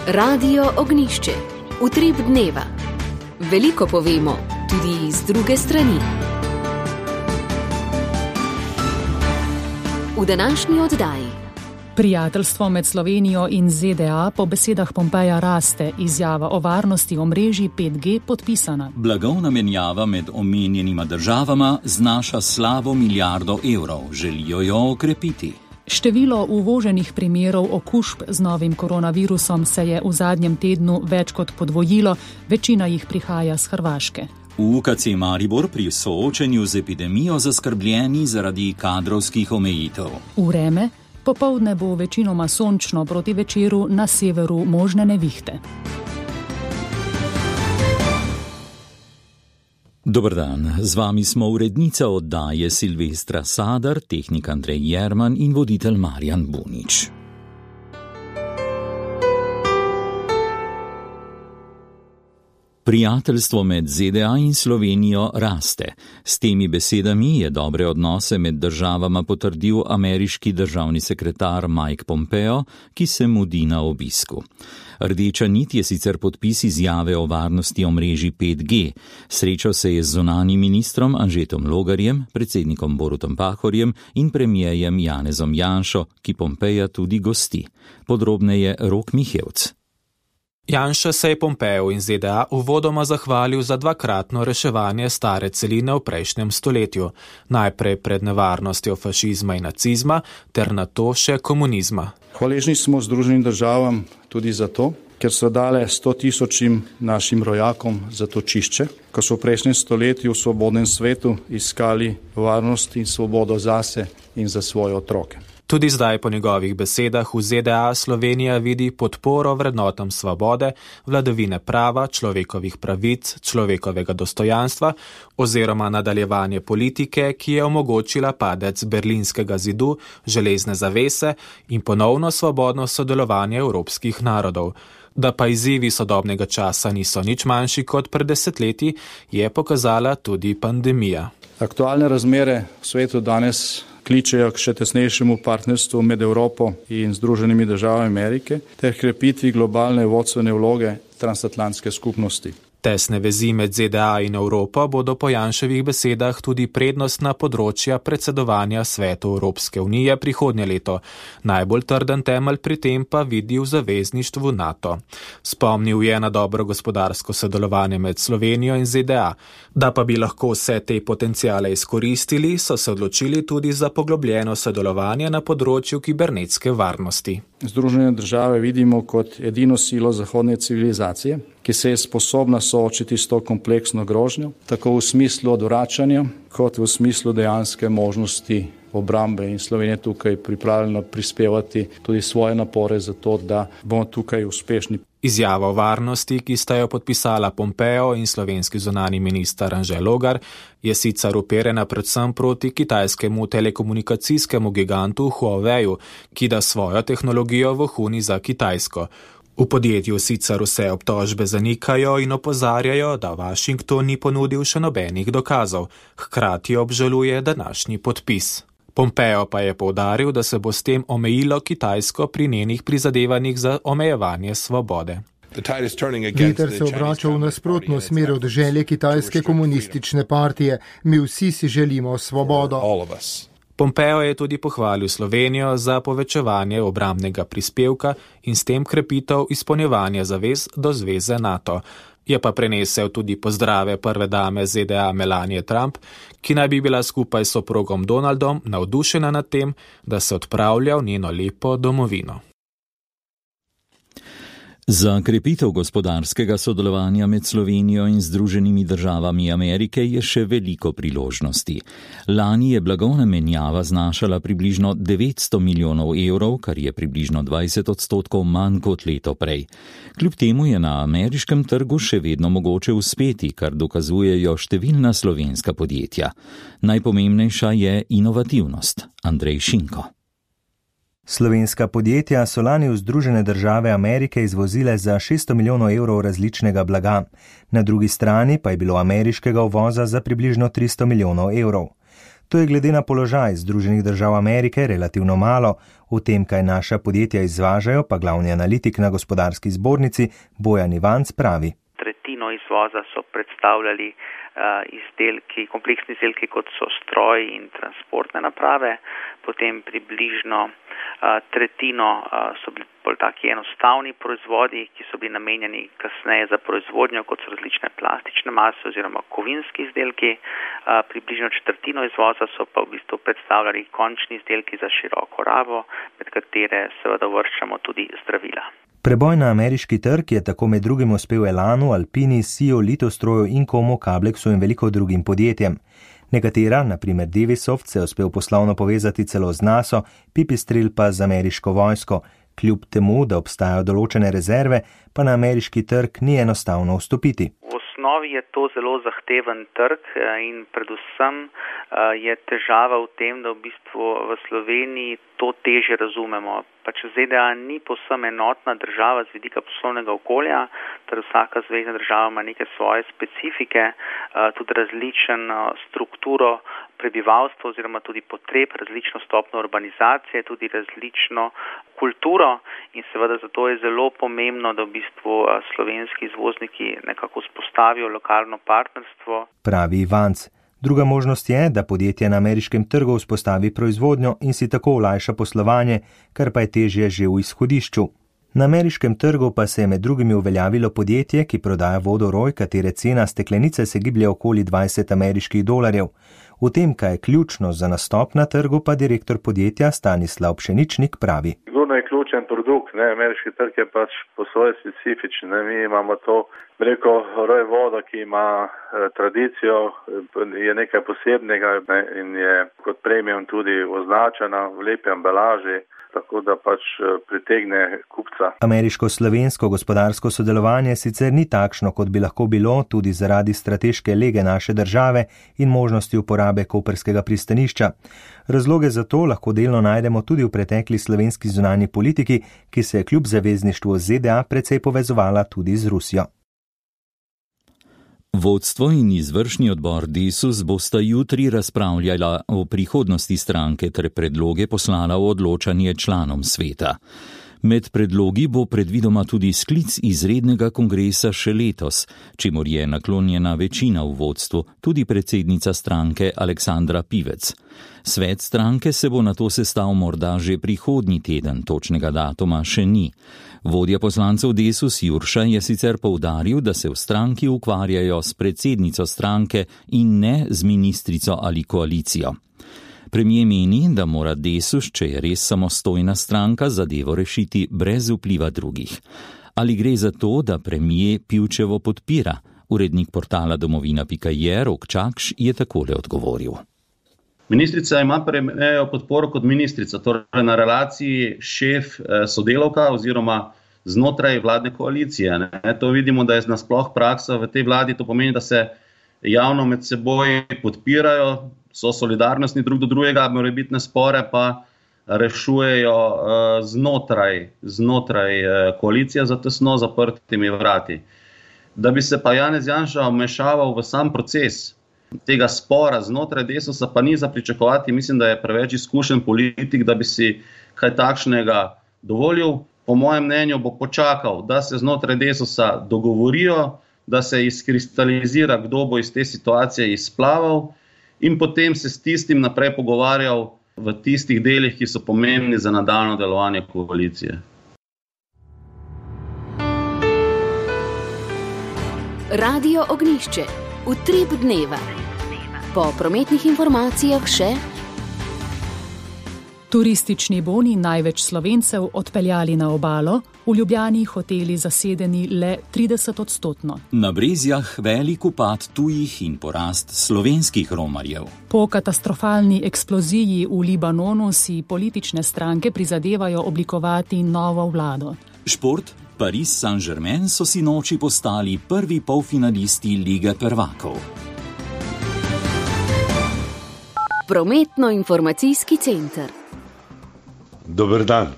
Radio Ognjišče. Utrip dneva. Veliko povemo, tudi iz druge strani. V današnji oddaji. Prijateljstvo med Slovenijo in ZDA po besedah Pompeja raste, izjava o varnosti omrežij 5G podpisana. Blagovna menjava med omenjenima državama znaša slabo milijardo evrov, želijo jo okrepiti. Število uvoženih primerov okužb z novim koronavirusom se je v zadnjem tednu več kot podvojilo, večina jih prihaja z Hrvaške. V UKC Maribor pri soočenju z epidemijo zaskrbljeni zaradi kadrovskih omejitev. Vreme. Popoldne bo večinoma sončno, proti večeru na severu možne nevihte. Dober dan, z vami smo urednica oddaje Silvestra Sadar, tehnik Andrej Jerman in voditelj Marjan Bunič. Prijateljstvo med ZDA in Slovenijo raste. S temi besedami je dobre odnose med državama potrdil ameriški državni sekretar Mike Pompeo, ki se mudi na obisku. Rdeča nit je sicer podpis izjave o varnosti omrežij 5G. Srečal se je z zunanjim ministrom Anžetom Logarjem, predsednikom Borutom Pahorjem in premierjem Janezom Janšo, ki Pompeja tudi gosti. Podrobneje Rok Mihevc. Janša se je Pompeju in ZDA uvodoma zahvalil za dvakratno reševanje stare celine v prejšnjem stoletju, najprej pred nevarnostjo fašizma in nacizma, ter nato še komunizma. Hvaležni smo Združenim državam tudi zato, ker so dale 100.000 našim rojakom zatočišče, ko so v prejšnjem stoletju v svobodnem svetu iskali varnost in svobodo zase in za svoje otroke. Tudi zdaj po njegovih besedah v ZDA Slovenija vidi podporo vrednotam svobode, vladavine prava, človekovih pravic, človekovega dostojanstva oziroma nadaljevanje politike, ki je omogočila padec berlinskega zidu, železne zavese in ponovno svobodno sodelovanje evropskih narodov. Da pa izzivi sodobnega časa niso nič manjši kot pred desetletji, je pokazala tudi pandemija. Aktualne razmere v svetu danes kličejo k še tesnejšemu partnerstvu med Evropo in Združenimi državami Amerike ter krepitvi globalne vodstvene vloge transatlantske skupnosti. Tesne vezi med ZDA in Evropo bodo po Janševih besedah tudi prednostna področja predsedovanja Svetu Evropske unije prihodnje leto. Najbolj trden temelj pri tem pa vidi v zavezništvu NATO. Spomnil je na dobro gospodarsko sodelovanje med Slovenijo in ZDA. Da pa bi lahko vse te potenciale izkoristili, so se odločili tudi za poglobljeno sodelovanje na področju kibernetske varnosti. Združene države vidimo kot edino silo zahodne civilizacije, ki se je sposobna soočiti s to kompleksno grožnjo, tako v smislu odvračanja, kot v smislu dejanske možnosti obrambe, in Slovenija tukaj pripravljena prispevati tudi svoje napore za to, da bomo tukaj uspešni. Izjava o varnosti, ki sta jo podpisala Pompeo in slovenski zunanji minister Anže Logar, je sicer uperjena predvsem proti kitajskemu telekomunikacijskemu gigantu Huaweiu, ki da svojo tehnologijo vohuni za Kitajsko. V podjetju sicer vse obtožbe zanikajo in opozarjajo, da Washington ni ponudil še nobenih dokazov, hkrati obžaluje današnji podpis. Pompeo pa je poudaril, da se bo s tem omejilo Kitajsko pri njenih prizadevanjih za omejevanje svobode. Veter se obrača v nasprotno smer od želje kitajske komunistične partije. Mi vsi si želimo svobodo. Pompeo je tudi pohvalil Slovenijo za povečevanje obrambnega prispevka in s tem krepitev izpolnjevanja zavez do zveze NATO. Je pa prenesel tudi pozdrave prve dame ZDA Melanie Trump, ki naj bi bila skupaj s soprogom Donaldom navdušena nad tem, da se odpravlja v njeno lepo domovino. Za krepitev gospodarskega sodelovanja med Slovenijo in Združenimi državami Amerike je še veliko priložnosti. Lani je blagovna menjava znašala približno 900 milijonov evrov, kar je približno 20% manj kot leto prej. Kljub temu je na ameriškem trgu še vedno mogoče uspeti, kar dokazujejo številna slovenska podjetja. Najpomembnejša je inovativnost. Andrej Šinko. Slovenska podjetja so lani v Združene države Amerike izvozile za 600 milijonov evrov različnega blaga. Na drugi strani pa je bilo ameriškega uvoza za približno 300 milijonov evrov. To je glede na položaj Združenih držav Amerike relativno malo. O tem, kaj naša podjetja izvažajo, pa glavni analitik na Gospodarski zbornici Bojan Ivanc pravi. Tretjino izvoza so predstavljali izdelki, kompleksni izdelki, kot so stroji in transportne naprave, potem približno tretjino so bili bolj taki enostavni proizvodi, ki so bili namenjeni kasneje za proizvodnjo, kot so različne plastične mase oziroma kovinski izdelki. Približno četrtino izvoza so pa v bistvu predstavljali končni izdelki za široko rabo, med katere seveda uvrščamo tudi zdravila. Preboj na ameriški trg je tako med drugim uspel Elanu, Alpini, Sio, Litostroju, Incomu, Cablexu in veliko drugim podjetjem. Nekatera, na primer Devisoft, se je uspel poslovno povezati celo z NATO, Pipistrel pa z ameriško vojsko. Kljub temu, da obstajajo določene rezerve, pa na ameriški trg ni enostavno vstopiti. V osnovi je to zelo zahteven trg in predvsem je težava v tem, da v bistvu v Sloveniji to težje razumemo. Pač ZDA ni povsem enotna država z vidika poslovnega okolja, ter vsaka zvezna država ima neke svoje specifike, tudi različno strukturo prebivalstva oziroma tudi potreb, različno stopnjo urbanizacije, tudi različno kulturo in seveda zato je zelo pomembno, da v bistvu slovenski izvozniki nekako spostavijo lokalno partnerstvo. Pravi Ivanc. Druga možnost je, da podjetje na ameriškem trgu vzpostavi proizvodnjo in si tako olajša poslovanje, kar pa je težje že v izhodišču. Na ameriškem trgu pa se je med drugimi uveljavilo podjetje, ki prodaja vodoroj, katere cena steklenice se giblje okoli $20. V tem, kaj je ključno za nastop na trgu, pa direktor podjetja Stanislav Pšeničnik pravi. Sigurno je ključen produkt, ameriški trg je pač po svoje specifičen. Mi imamo to, roj vodo, ki ima tradicijo, je nekaj posebnega in je kot premium tudi označena v lepi embalaži, tako da pač pritegne kupca. Ameriško-slovensko gospodarsko sodelovanje sicer ni takšno, kot bi lahko bilo, tudi zaradi strateške lege naše države in možnosti uporabe koprskega pristanišča. Razloge za to lahko delno najdemo tudi v pretekli slovenski zunanji politiki, ki se je kljub zavezništvu ZDA precej povezovala tudi z Rusijo. Vodstvo in izvršni odbor Desus bosta jutri razpravljala o prihodnosti stranke ter predloge poslala v odločanje članom sveta. Med predlogi bo predvidoma tudi sklic izrednega kongresa še letos, čemur je naklonjena večina v vodstvu, tudi predsednica stranke Aleksandra Pivec. Svet stranke se bo nato sestal morda že prihodnji teden, točnega datuma še ni. Vodja poslancev Desus Jurša je sicer poudaril, da se v stranki ukvarjajo s predsednico stranke in ne z ministrico ali koalicijo. Premier meni, da mora Desus, če je res samostojna stranka, zadevo rešiti brez vpliva drugih. Ali gre za to, da premier Pivčevo podpira? Urednik portala domovina.je Rok Čakš je takole odgovoril. Ministrica ima premierjevo podporo kot ministrica, torej na relaciji šef-sodelavka oziroma znotraj vladne koalicije. To vidimo, da je nasploh praksa v tej vladi, to pomeni, da se javno med seboj podpirajo, so solidarnostni drug do drugega, morebitne spore pa rešujejo znotraj koalicije za tesno zaprtimi vrati. Da bi se pa Janez Janša vmešaval v sam proces tega spora znotraj Desusa, pa ni za pričakovati. Mislim, da je preveč izkušen politik, da bi si kaj takšnega dovolil. Po mojem mnenju bo počakal, da se znotraj Desusa dogovorijo, da se izkristalizira, kdo bo iz te situacije izplaval in potem se s tistim naprej pogovarjal v tistih delih, ki so pomembni za nadaljnje delovanje koalicije. Radio Ognjišče. Utrip dneva. Po prometnih informacijah še turistični boni največ Slovencev odpeljali na obalo, v Ljubljani hoteli zasedeni le 30%. Na Brezjah velik upad tujih in porast slovenskih romarjev. Po katastrofalni eksploziji v Libanonu si politične stranke prizadevajo oblikovati novo vlado. Šport. Paris Saint-Germain so sinoči postali prvi polfinalisti Lige prvakov. Prometno-informacijski center. Dober dan.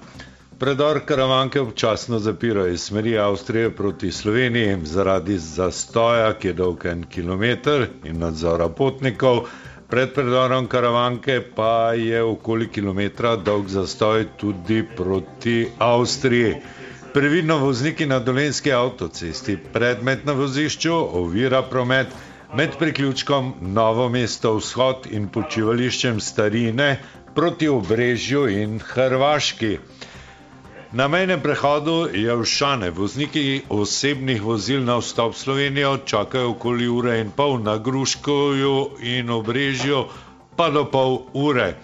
Predor Karavanke občasno zapirajo iz smeri Avstrije proti Sloveniji zaradi zastoja, ki je dolg 1 kilometer in nadzora potnikov. Pred predorom Karavanke pa je okoli kilometra dolg zastoj tudi proti Avstriji. Previdno vozniki na Dolenjski avtocesti, predmet na vozišču ovira promet med priključkom Novo mesto vzhod in počivališčem Starine proti Obrežju in Hrvaški. Na mejnem prehodu Jelšane vozniki osebnih vozil na vstop v Slovenijo čakajo okoli ure in pol, na Gruškovju in Obrežju pa do pol ure.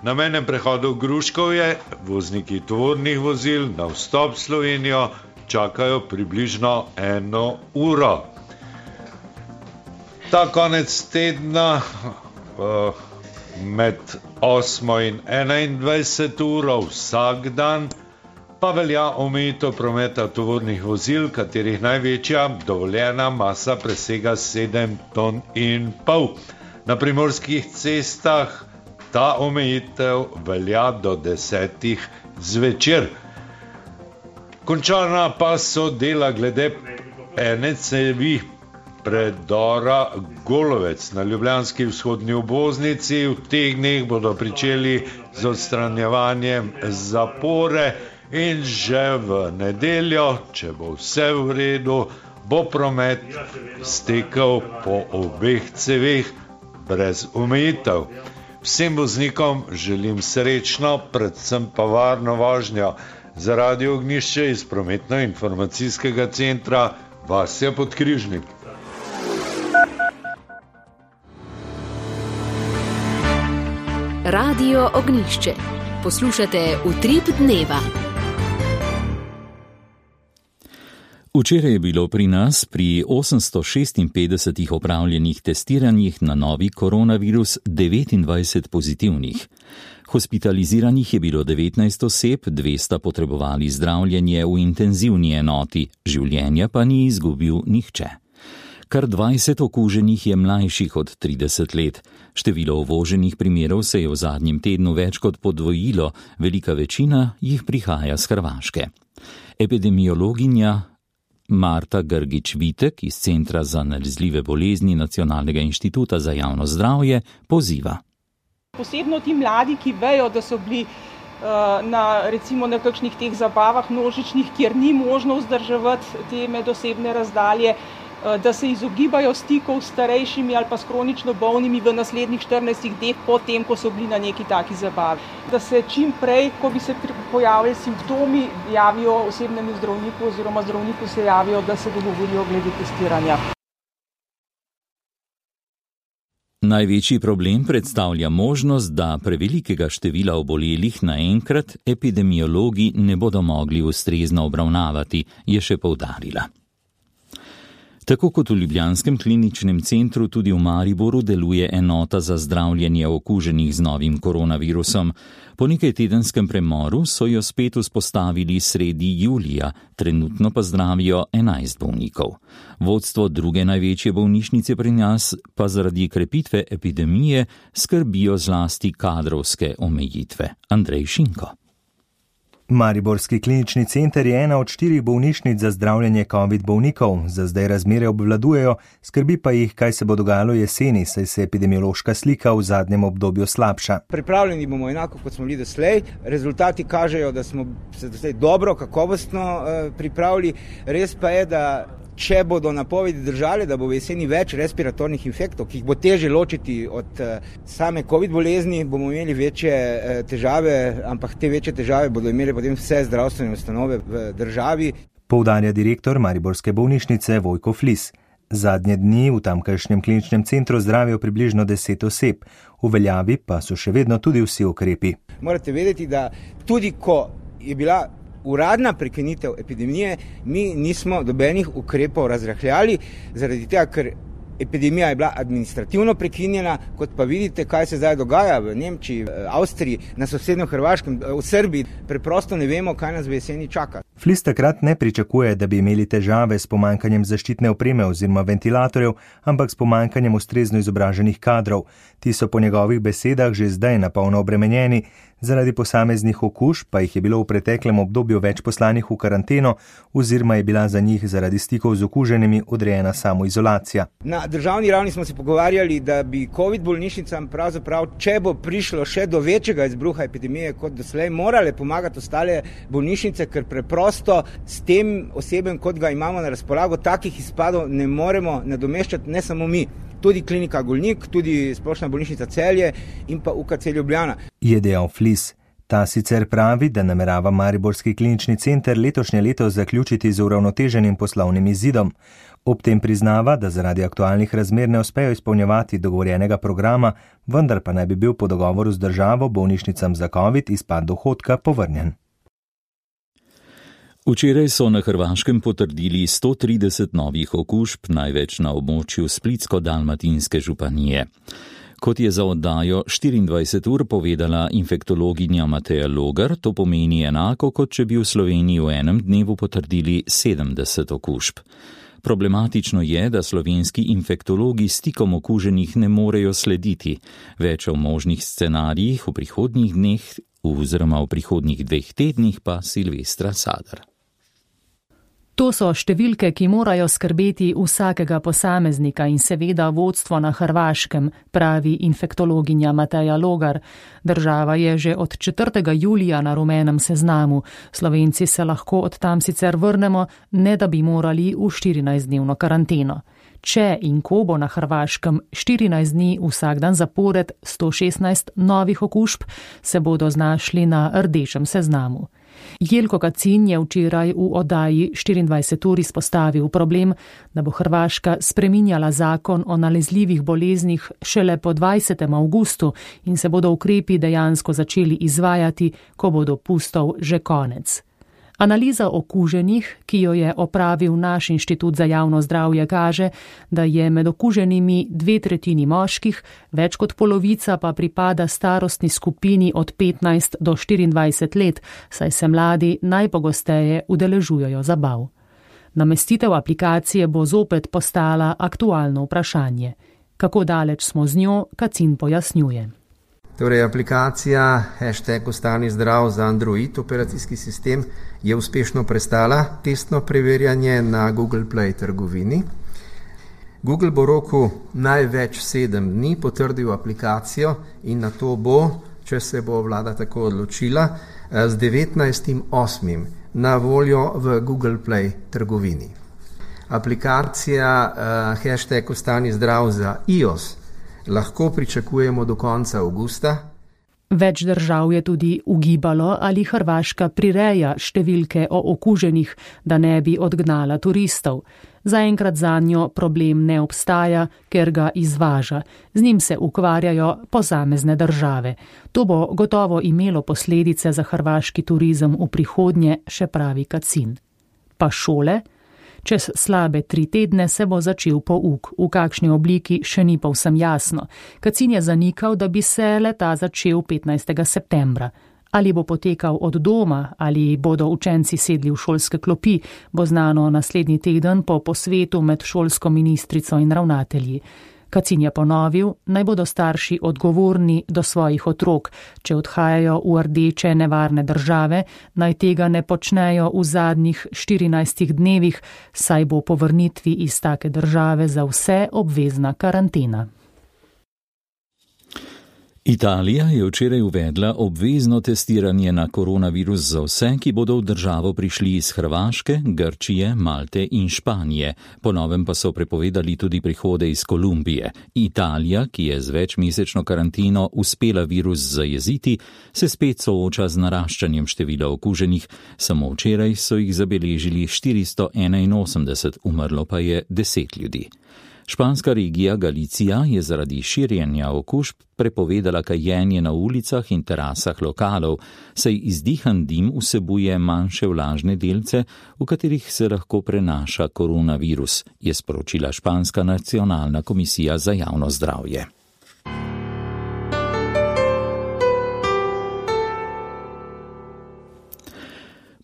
Na mejnem prehodu Gruškovje vozniki tovornih vozil na vstop v Slovenijo čakajo približno 1 uro. Ta konec tedna med 8 in 21 uro vsak dan pa velja omejitev prometa tovornih vozil, katerih največja dovoljena masa presega 7,5 ton. Na primorskih cestah ta omejitev velja do 10 zvečer. Končana pa so dela glede ene cevi predora Golovec na ljubljanski vzhodni obvoznici. V teh dneh bodo pričeli z odstranjevanjem zapore in že v nedeljo, če bo vse v redu, bo promet stekel po obeh ceveh brez omejitev. Vsem voznikom želim srečno, predvsem pa varno vožnjo. Za Radio Ognjišče iz prometno-informacijskega centra Vasja Podkrižnik. Radio Ognjišče. Poslušate Utrip dneva. Včeraj je bilo pri nas pri 856 opravljenih testiranjih na novi koronavirus 29 pozitivnih. Hospitaliziranih je bilo 19 oseb, 2 sta potrebovali zdravljenje v intenzivni enoti, življenja pa ni izgubil nihče. Kar 20 okuženih je mlajših od 30 let. Število uvoženih primerov se je v zadnjem tednu več kot podvojilo, velika večina jih prihaja z Hrvaške. Epidemiologinja Marta Grgić-Vitek iz Centra za nalezljive bolezni Nacionalnega inštituta za javno zdravje poziva. Posebno ti mladi, ki vejo, da so bili recimo na kakšnih teh zabavah množičnih, kjer ni možno vzdrževati te medosebne razdalje, da se izogibajo stikov s starejšimi ali pa s kronično bolnimi v naslednjih 14 dneh po tem, ko so bili na neki taki zabavi. Da se čim prej, ko bi se pojavili simptomi, javijo osebnemu zdravniku oziroma zdravniku se javijo, da se dogovorijo glede testiranja. Največji problem predstavlja možnost, da prevelikega števila obolelih naenkrat epidemiologi ne bodo mogli ustrezno obravnavati, je še poudarila. Tako kot v ljubljanskem kliničnem centru, tudi v Mariboru deluje enota za zdravljenje okuženih z novim koronavirusom. Po nekaj tedenskem premoru so jo spet vzpostavili sredi julija, trenutno pa zdravijo 11 bolnikov. Vodstvo druge največje bolnišnice pri nas pa zaradi krepitve epidemije skrbijo zlasti kadrovske omejitve. Andrej Šinko. Mariborski klinični center je ena od 4 bolnišnic za zdravljenje COVID bolnikov. Za zdaj razmere obvladujejo, skrbi pa jih, kaj se bo dogajalo jeseni, saj se epidemiološka slika v zadnjem obdobju slabša. Pripravljeni bomo enako, kot smo bili doslej. Rezultati kažejo, da smo se doslej dobro, kakovostno pripravili. Res pa je, da če bodo napovedi držale, da bo v jeseni več respiratornih infektov, ki jih bo težje ločiti od same COVID bolezni, bomo imeli večje težave, ampak te večje težave bodo imeli potem vse zdravstvene ustanove v državi. Poudarja direktor Mariborske bolnišnice Vojko Flis. Zadnje dni v tamkajšnjem kliničnem centru zdravijo približno 10 oseb, v veljavi pa so še vedno tudi vsi ukrepi. Morate vedeti, da tudi ko je bila uradna prekinitev epidemije, mi nismo dobenih ukrepov razrahljali, zaradi tega, ker epidemija je bila administrativno prekinjena, kot pa vidite, kaj se zdaj dogaja v Nemčiji, v Avstriji, na sosednjem Hrvaškem, v Srbiji. Preprosto ne vemo, kaj nas v jeseni čaka. Flis takrat ne pričakuje, da bi imeli težave s pomankanjem zaščitne opreme oziroma ventilatorjev, ampak s pomankanjem ustrezno izobraženih kadrov. Ti so po njegovih besedah že zdaj napolno obremenjeni, zaradi posameznih okužb pa jih je bilo v preteklem obdobju več poslanih v karanteno oziroma je bila za njih zaradi stikov z okuženimi odrejena samoizolacija. Na državni ravni smo se pogovarjali, da bi COVID bolnišnicam pravzaprav, če bo prišlo še do večjega izbruha epidemije kot doslej, morale pomagati ostale bolnišnice, ker preprosto s tem osebjem, kot ga imamo na razpolago, takih izpadov ne moremo nadomeščati, ne samo mi. Tudi klinika Golnik, tudi splošna bolnišnica Celje in pa UKC Ljubljana. Je dejal Flis. Ta sicer pravi, da namerava Mariborski klinični center letošnje leto zaključiti z uravnoteženim poslovnim izidom. Ob tem priznava, da zaradi aktualnih razmer ne uspejo izpolnjevati dogovorjenega programa, vendar pa naj bi bil po dogovoru z državo bolnišnicam za COVID izpad dohodka povrnjen. Včeraj so na Hrvaškem potrdili 130 novih okužb, največ na območju Splitsko-dalmatinske županije. Kot je za oddajo 24 ur povedala infektologinja Mateja Logar, to pomeni enako, kot če bi v Sloveniji v enem dnevu potrdili 70 okužb. Problematično je, da slovenski infektologi stikom okuženih ne morejo slediti. Več o možnih scenarijih v prihodnjih dneh oziroma v prihodnjih 2 tednih pa Silvestra Sadar. To so številke, ki morajo skrbeti vsakega posameznika in seveda vodstvo na Hrvaškem, pravi infektologinja Mateja Logar. Država je že od 4. julija na rumenem seznamu. Slovenci se lahko od tam sicer vrnemo, ne da bi morali v 14-dnevno karanteno. Če in ko bo na Hrvaškem 14 dni vsak dan zapored 116 novih okužb, se bodo znašli na rdečem seznamu. Jelko Kacin je včeraj v oddaji 24 ur izpostavil problem, da bo Hrvaška spreminjala zakon o nalezljivih boleznih šele po 20. avgustu in se bodo ukrepi dejansko začeli izvajati, ko bo dopustov že konec. Analiza okuženih, ki jo je opravil naš inštitut za javno zdravje, kaže, da je med okuženimi 2/3 moških, več kot polovica pa pripada starostni skupini od 15 do 24 let, saj se mladi najpogosteje udeležujejo zabav. Namestitev aplikacije bo zopet postala aktualno vprašanje. Kako daleč smo z njo, Kacin pojasnjuje. Torej, aplikacija #ostani zdrav za Android operacijski sistem je uspešno prestala testno preverjanje na Google Play trgovini. Google bo v roku največ 7 dni potrdil aplikacijo in na to bo, če se bo vlada tako odločila, z 19.8. na voljo v Google Play trgovini. Aplikacija #ostani zdrav za iOS lahko pričakujemo do konca avgusta. Več držav je tudi ugibalo, ali Hrvaška prireja številke o okuženih, da ne bi odgnala turistov. Zaenkrat zanjo problem ne obstaja, ker ga izvaža. Z njim se ukvarjajo posamezne države. To bo gotovo imelo posledice za hrvaški turizem v prihodnje, še pravi Kacin. Pa šole? Čez slabe 3 tedne se bo začel pouk, v kakšni obliki še ni povsem jasno. Kacin je zanikal, da bi se le-ta začel 15. septembra. Ali bo potekal od doma, ali bodo učenci sedli v šolske klopi, bo znano naslednji teden po posvetu med šolsko ministrico in ravnatelji. Kacin je ponovil, naj bodo starši odgovorni do svojih otrok. Če odhajajo v rdeče nevarne države, naj tega ne počnejo v zadnjih 14 dnevih, saj bo po vrnitvi iz take države za vse obvezna karantena. Italija je včeraj uvedla obvezno testiranje na koronavirus za vse, ki bodo v državo prišli iz Hrvaške, Grčije, Malte in Španije. Po novem pa so prepovedali tudi prihode iz Kolumbije. Italija, ki je z večmesečno karanteno uspela virus zajeziti, se spet sooča z naraščanjem števila okuženih. Samo včeraj so jih zabeležili 481, umrlo pa je 10 ljudi. Španska regija Galicija je zaradi širjenja okužb prepovedala kajenje na ulicah in terasah lokalov, saj izdihan dim vsebuje manjše vlažne delce, v katerih se lahko prenaša koronavirus, je sporočila Španska nacionalna komisija za javno zdravje.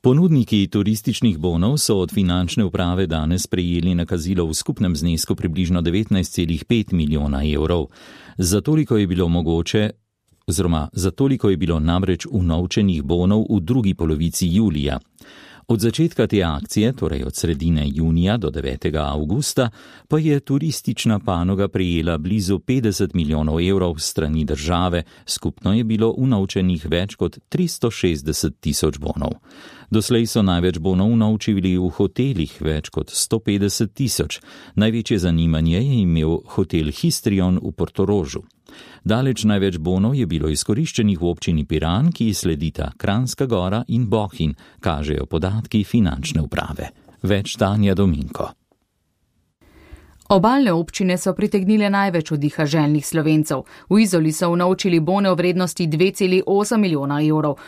Ponudniki turističnih bonov so od finančne uprave danes prejeli nakazilo v skupnem znesku približno 19,5 milijona evrov. Za toliko je bilo namreč unovčenih bonov v drugi polovici julija. Od začetka te akcije, torej od sredine junija do 9. avgusta, pa je turistična panoga prejela blizu 50 milijonov evrov strani države, skupno je bilo unovčenih več kot 360 tisoč bonov. Doslej so največ bonov unovčili v hotelih, več kot 150 tisoč. Največje zanimanje je imel hotel Histrion v Portorožu. Daleč največ bonov je bilo izkoriščenih v občini Piran, ki sledita Kranjska Gora in Bohinj, kažejo podatki finančne uprave. Več Tanja Dominko. Obalne občine so pritegnile največ oddiha željnih Slovencev. V Izoli so unovčili bone v vrednosti 2,8 milijona evrov.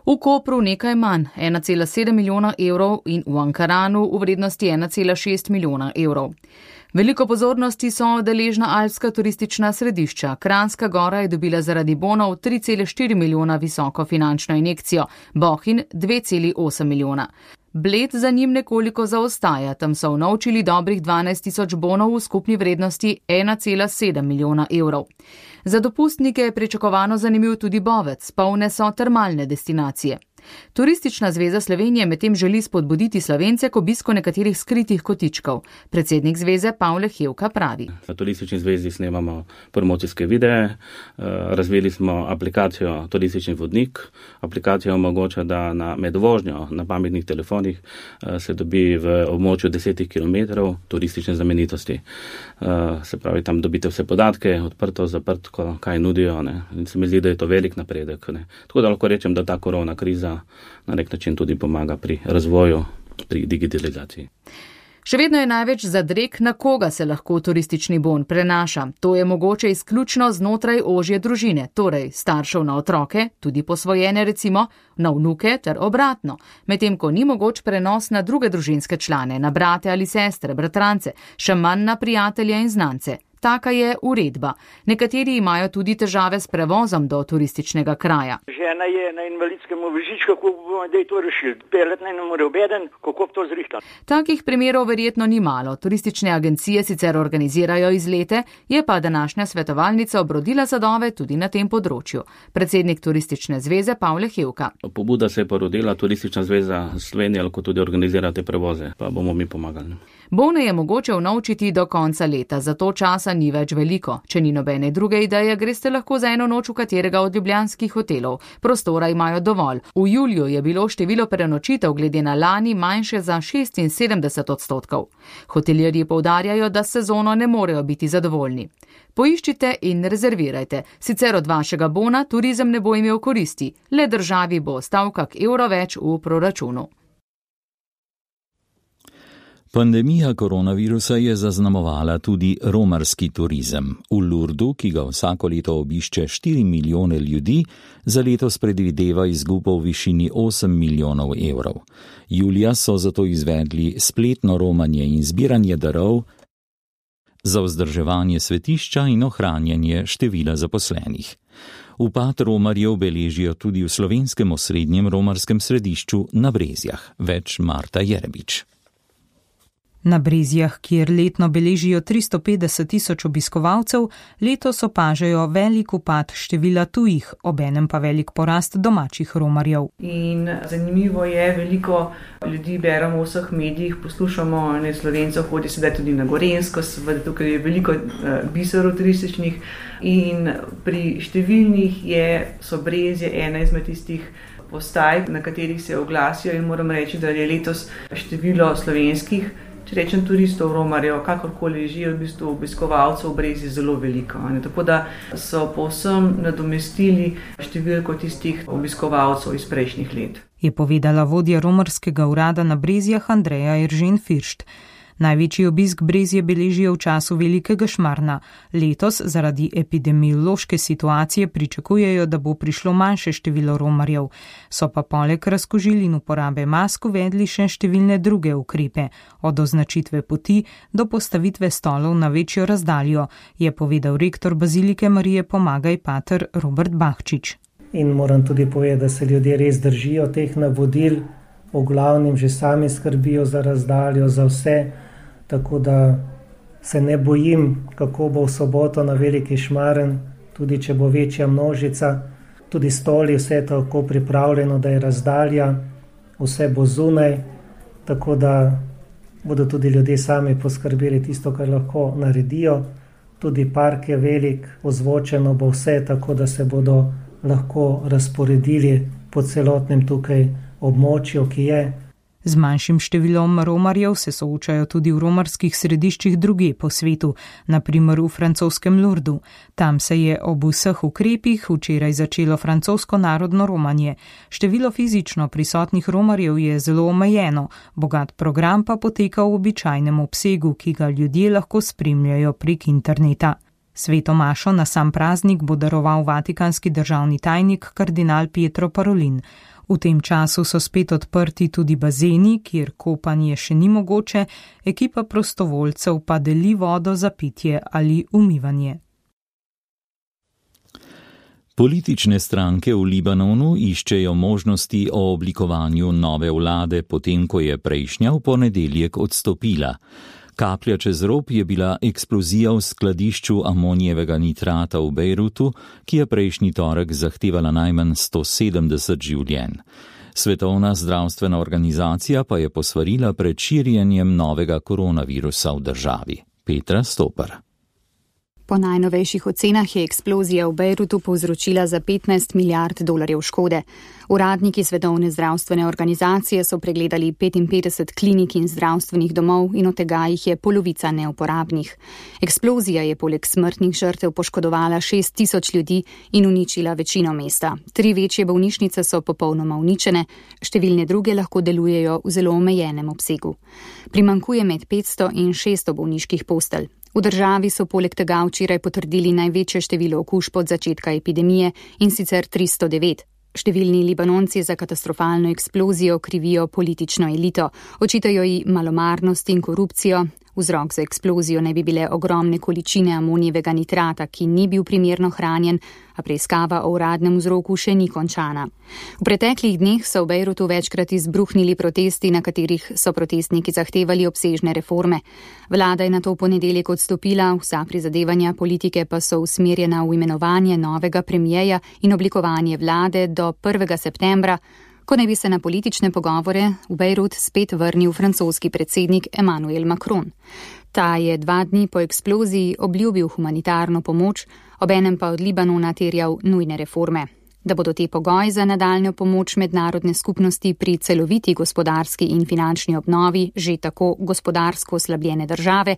V Kopru nekaj manj, 1,7 milijona evrov in v Ankaranu v vrednosti 1,6 milijona evrov. Veliko pozornosti so deležna alpska turistična središča. Kranjska Gora je dobila zaradi bonov 3,4 milijona visoko finančno injekcijo, Bohinj 2,8 milijona. Bled za njim nekoliko zaostaja, tam so unovčili dobrih 12 tisoč bonov v skupni vrednosti 1,7 milijona evrov. Za dopustnike je pričakovano zanimiv tudi Bovec, polne so termalne destinacije. Turistična zveza Slovenije medtem želi spodbuditi Slovence k obisku nekaterih skritih kotičkov. Predsednik zveze Pavle Hevka pravi. Na turistični zvezi snemamo promocijske videe, razvili smo aplikacijo Turistični vodnik. Aplikacija omogoča, da med vožnjo na pametnih telefonih se dobi v območju 10 km turistične znamenitosti. Se pravi, tam dobite vse podatke, odprto, zaprto, kaj nudijo. Ne. In se mi zdi, da je to velik napredek. Ne. Tako da lahko rečem, da ta korona kriza na nek način tudi pomaga pri razvoju, pri digitalizaciji. Še vedno je največ zadreg, na koga se lahko turistični bon prenaša. To je mogoče izključno znotraj ožje družine, torej staršev na otroke, tudi posvojene recimo, na vnuke ter obratno, medtem ko ni mogoč prenos na druge družinske člane, na brate ali sestre, bratrance, še manj na prijatelje in znance. Taka je uredba. Nekateri imajo tudi težave s prevozom do turističnega kraja. Žena je na invalidskem vozičku, kako bomo zdaj to rešili? Pelet naj ne more obeden, kako to zrihtati? Takih primerov verjetno ni malo. Turistične agencije sicer organizirajo izlete, je pa današnja svetovalnica obrodila sadove tudi na tem področju. Predsednik Turistične zveze Pavle Hevka. Pobuda se je porodila, Turistična zveza Slovenije lahko tudi organizira te prevoze, pa bomo mi pomagali. Bone je mogoče unovčiti do konca leta, zato časa ni več veliko. Če ni nobene druge ideje, greste lahko za eno noč v katerega od ljubljanskih hotelov. Prostora imajo dovolj. V juliju je bilo število prenočitev glede na lani manjše za 76%. Hotelirji poudarjajo, da s sezono ne morejo biti zadovoljni. Poiščite in rezervirajte, sicer od vašega bona turizem ne bo imel koristi, le državi bo ostal kak evro več v proračunu. Pandemija koronavirusa je zaznamovala tudi romarski turizem. V Lurdu, ki ga vsako leto obišče 4 milijone ljudi, za letos predvideva izgubo v višini 8 milijonov evrov. Julija so zato izvedli spletno romanje in zbiranje darov za vzdrževanje svetišča in ohranjanje števila zaposlenih. Upad romarjev beležijo tudi v slovenskem osrednjem romarskem središču na Brezjah. Več Marta Jerebič. Na Brezjah, kjer letno beležijo 350 tisoč obiskovalcev, letos opažajo velik upad števila tujih, obenem pa velik porast domačih romarjev. In zanimivo je, veliko ljudi beremo v vseh medijih, poslušamo, ne Slovencev hodi sedaj tudi na Gorenjsko, seveda tukaj je veliko biserov turističnih in pri številnih so Brezje ena izmed tistih postaj, na katerih se oglasijo in moram reči, da je letos število slovenskih, če rečem turistov, romarjev, kakorkoli žijo, v bistvu obiskovalcev v Brezju zelo veliko. Tako da so povsem nadomestili številko tistih obiskovalcev iz prejšnjih let. Je povedala vodja romarskega urada na Brezjah Andreja Eržen Firšt. Največji obisk Brezje beležijo v času velikega šmarna. Letos zaradi epidemiološke situacije pričakujejo, da bo prišlo manjše število romarjev. So pa poleg razkužil in uporabe mask uvedli še številne druge ukrepe, od označitve poti do postavitve stolov na večjo razdaljo, je povedal rektor Bazilike Marije Pomagaj pater Robert Bahčič. In moram tudi povedati, da se ljudje res držijo teh navodil. v glavnem že sami skrbijo za razdaljo, za vse, tako da se ne bojim, kako bo v soboto na Veliki Šmaren, tudi če bo večja množica, tudi stoli, vse je tako pripravljeno, da je razdalja, vse bo zunaj, tako da bodo tudi ljudje sami poskrbeli tisto, kar lahko naredijo. Tudi park je velik, ozvočeno bo vse, tako da se bodo lahko razporedili po celotnem tukaj območju, ki je. Z manjšim številom romarjev se soočajo tudi v romarskih središčih druge po svetu, naprimer v francoskem Lourdu. Tam se je ob vseh ukrepih včeraj začelo francosko narodno romanje. Število fizično prisotnih romarjev je zelo omejeno, bogat program pa poteka v običajnem obsegu, ki ga ljudje lahko spremljajo prek interneta. Sveto mašo na sam praznik bo daroval vatikanski državni tajnik kardinal Pietro Parolin. V tem času so spet odprti tudi bazeni, kjer kopanje še ni mogoče, ekipa prostovoljcev pa deli vodo za pitje ali umivanje. Politične stranke v Libanonu iščejo možnosti o oblikovanju nove vlade, potem ko je prejšnja v ponedeljek odstopila. Kaplja čez rob je bila eksplozija v skladišču amonijevega nitrata v Bejrutu, ki je prejšnji torek zahtevala najmanj 170 življenj. Svetovna zdravstvena organizacija pa je posvarila pred širjenjem novega koronavirusa v državi. Petra Stopar. Po najnovejših ocenah je eksplozija v Bejrutu povzročila za 15 milijard dolarjev škode. Uradniki Svetovne zdravstvene organizacije so pregledali 55 klinik in zdravstvenih domov in od tega jih je polovica neuporabnih. Eksplozija je poleg smrtnih žrtev poškodovala 6.000 ljudi in uničila večino mesta. 3 večje bolnišnice so popolnoma uničene, številne druge lahko delujejo v zelo omejenem obsegu. Primanjkuje med 500 in 600 bolniških postelj. V državi so poleg tega včeraj potrdili največje število okužb od začetka epidemije, in sicer 309. Številni Libanonci za katastrofalno eksplozijo krivijo politično elito, očitajo ji malomarnost in korupcijo. Vzrok za eksplozijo naj bi bile ogromne količine amonijevega nitrata, ki ni bil primerno hranjen, a preiskava o uradnem vzroku še ni končana. V preteklih dneh so v Bejrutu večkrat izbruhnili protesti, na katerih so protestniki zahtevali obsežne reforme. Vlada je nato v ponedeljek odstopila, vsa prizadevanja politike pa so usmerjena v imenovanje novega premijeja in oblikovanje vlade do 1. septembra, ko naj bi se na politične pogovore v Bejrut spet vrnil francoski predsednik Emmanuel Macron. Ta je 2 dni po eksploziji obljubil humanitarno pomoč, obenem pa od Libanona terjal nujne reforme. Da bodo te pogoji za nadaljnjo pomoč mednarodne skupnosti pri celoviti gospodarski in finančni obnovi že tako gospodarsko oslabljene države,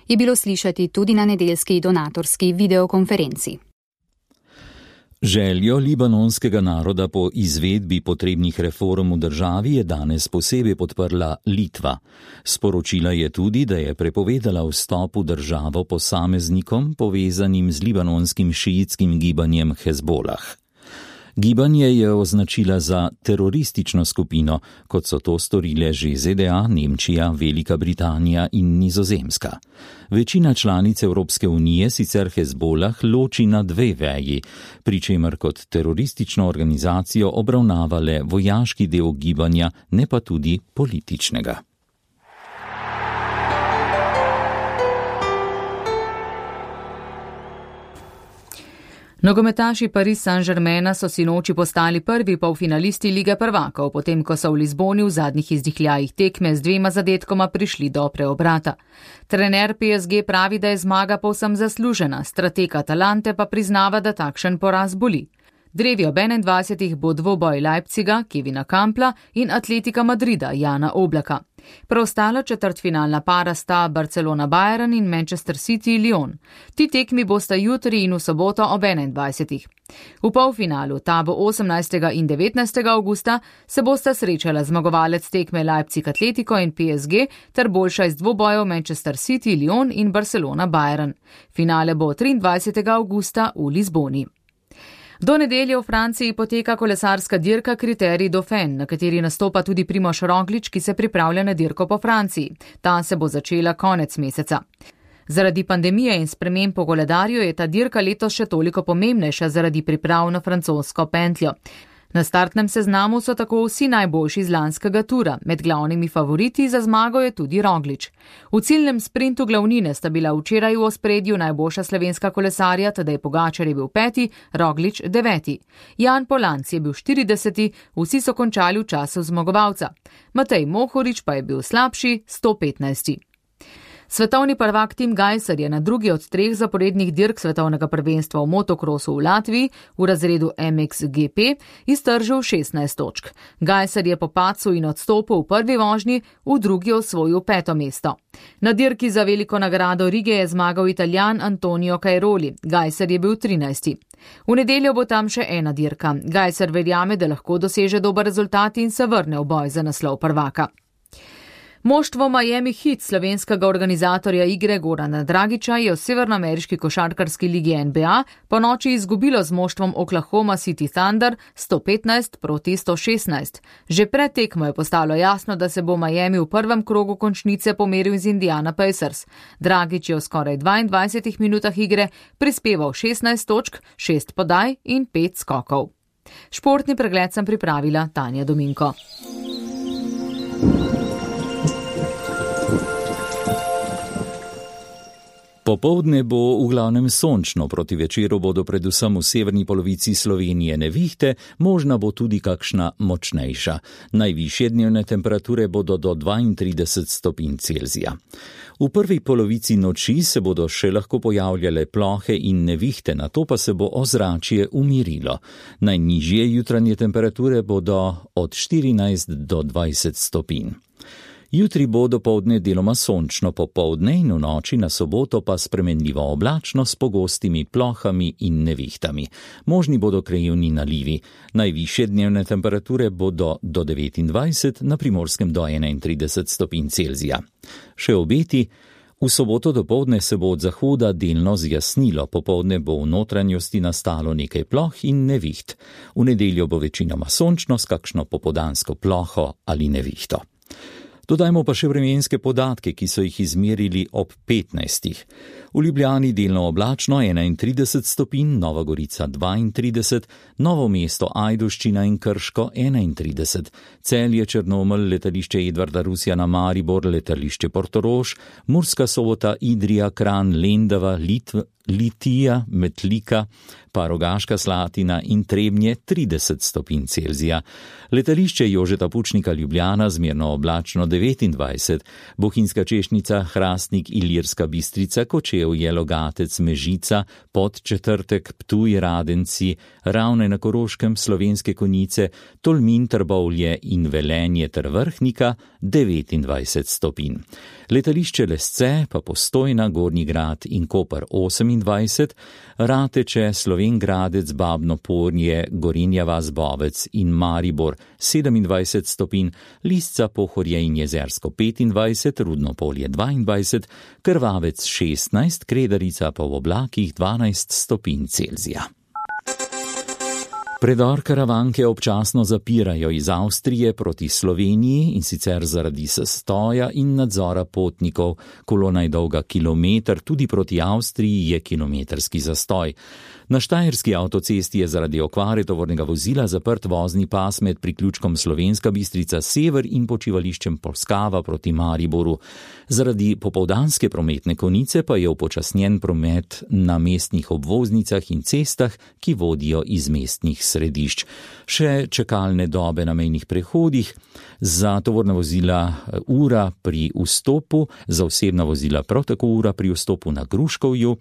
je bilo slišati tudi na nedeljski donatorski videokonferenci. Željo libanonskega naroda po izvedbi potrebnih reform v državi je danes posebej podprla Litva. Sporočila je tudi, da je prepovedala vstop v državo posameznikom povezanim z libanonskim šiitskim gibanjem Hezbolah. Gibanje je označila za teroristično skupino, kot so to storile že ZDA, Nemčija, Velika Britanija in Nizozemska. Večina članic Evropske unije sicer Hezbolah loči na 2 veji, pri čemer kot teroristično organizacijo obravnava le vojaški del gibanja, ne pa tudi političnega. Nogometaši Paris Saint-Germaina so sinoči postali prvi polfinalisti Lige prvakov, potem ko so v Lizboni v zadnjih izdihljajih tekme z 2 zadetkoma prišli do preobrata. Trener PSG pravi, da je zmaga povsem zaslužena, strateg Atalante pa priznava, da takšen poraz boli. Drevi ob 21. bo dvoboj Leipziga, Kevina Kampla in Atletika Madrida, Jana Oblaka. Preostala četrtfinalna para sta Barcelona-Bayern in Manchester City-Lyon. Ti tekmi bosta jutri in v soboto ob 21. V polfinalu, ta bo 18. in 19. avgusta, se bosta srečala zmagovalec tekme Leipzig-Atletico in PSG ter boljša iz dvobojev Manchester City-Lyon in Barcelona-Bayern. Finale bo 23. avgusta v Lizboni. Do nedelje v Franciji poteka kolesarska dirka Kriterij Dauphin, na kateri nastopa tudi Primož Roglič, ki se pripravlja na dirko po Franciji. Ta se bo začela konec meseca. Zaradi pandemije in sprememb po koledarju je ta dirka letos še toliko pomembnejša zaradi priprav na francosko pentljo. Na startnem seznamu so tako vsi najboljši iz lanskega tura, med glavnimi favoriti za zmago je tudi Roglič. V ciljnem sprintu glavnine sta bila včeraj v ospredju najboljša slovenska kolesarja, Tadej Pogačar je bil 5., Roglič 9. Jan Polanc je bil 40., vsi so končali v času zmagovalca. Matej Mohorič pa je bil slabši, 115. Svetovni prvak Tim Gajser je na drugi od 3 zaporednih dirk svetovnega prvenstva v motokrosu v Latviji v razredu MXGP iztržil 16 točk. Gajser je po padcu in odstopu v prvi vožnji v drugi osvojil 5. mesto. Na dirki za veliko nagrado Rige je zmagal Italijan Antonio Cairoli, Gajser je bil 13. V nedeljo bo tam še ena dirka. Gajser verjame, da lahko doseže dober rezultat in se vrne v boj za naslov prvaka. Moštvo Miami Heat slovenskega organizatorja igre Gorana Dragića je v severnoameriški košarkarski ligi NBA po noči izgubilo z moštvom Oklahoma City Thunder 115-116. Že pred tekmo je postalo jasno, da se bo Miami v prvem krogu končnice pomeril z Indiana Pacers. Dragić je v skoraj 22 minutah igre prispeval 16 točk, 6 podaj in 5 skokov. Športni pregled sem pripravila Tanja Dominko. Popoldne bo v glavnem sončno, proti večeru bodo predvsem v severni polovici Slovenije nevihte, možna bo tudi kakšna močnejša. Najvišje dnevne temperature bodo do 32 stopinj Celzija. V prvi polovici noči se bodo še lahko pojavljale plohe in nevihte, nato pa se bo ozračje umirilo. Najnižje jutranje temperature bodo od 14 do 20 stopinj. Jutri bo dopoldne deloma sončno, popoldne in v noči na soboto pa spremenljivo oblačno s pogostimi plohami in nevihtami. Možni bodo krajevni nalivi. Najvišje dnevne temperature bodo do 29, na Primorskem do 31 stopinj Celzija. Še obeti. V soboto dopoldne se bo od zahoda delno zjasnilo, popoldne bo v notranjosti nastalo nekaj ploh in neviht. V nedeljo bo večinoma sončno s kakšno popoldansko ploho ali nevihto. Dodajmo pa še vremenske podatke, ki so jih izmerili ob 15. V Ljubljani delno oblačno 31 stopinj, Nova Gorica 32, Novo mesto Ajdovščina in Krško 31, Celje, Črnomelj, letališče Edvarda Rusjana, Maribor, letališče Portorož, Murska Sobota, Idrija, Kranj, Lendava, Litija, Metlika, pa Rogaška Slatina in Trebnje 30 stopinj Celzija. Letališče Jožeta Pučnika Ljubljana zmerno oblačno 29, Bohinjska Češnica, Hrastnik, Ilirska Bistrica, Kočevje, Logatec, Mežica, Podčetrtek, Ptuj, Radenci, Ravne na Koroškem, Slovenske Konjice, Tolmin, Trbovlje in Velenje ter Vrhnika 29 stopinj. Letališče Lesce pa Postojna, Gornji Grad in Koper 28, Rateče, Slovenj Gradec, Babno Polje, Gorenja vas, Bovec in Maribor 27 stopinj, Lisca, Pohorje in Jezersko 25, Rudno Polje 22, Krvavec 16, Kredarica pa v oblakih 12 stopinj Celzija. Predor Karavanke občasno zapirajo iz Avstrije proti Sloveniji, in sicer zaradi zastoja in nadzora potnikov. Kolona je dolga kilometer, tudi proti Avstriji je kilometrski zastoj. Na Štajerski avtocesti je zaradi okvare tovornega vozila zaprt vozni pas med priključkom Slovenska Bistrica sever in počivališčem Polskava proti Mariboru. Zaradi popoldanske prometne konice pa je upočasnjen promet na mestnih obvoznicah in cestah, ki vodijo iz mestnih središč. Še čakalne dobe na mejnih prehodih, za tovorna vozila ura pri vstopu, za osebna vozila prav tako ura pri vstopu na Gruškovju,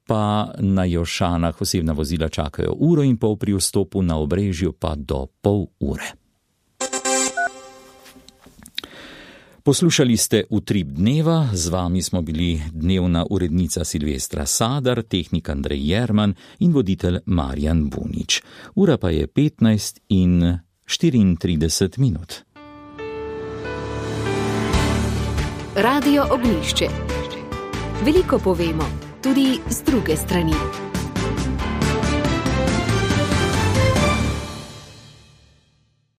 pa na Jošanah osebna vozila čakajo 1,5 ure pri vstopu, na Obrežju pa do pol ure. Poslušali ste Utrip dneva, z vami smo bili dnevna urednica Silvestra Sadar, tehnik Andrej Jerman in voditelj Marjan Bunič. Ura pa je 15:34 minut. Radio Ognjišče. Veliko povemo, tudi z druge strani.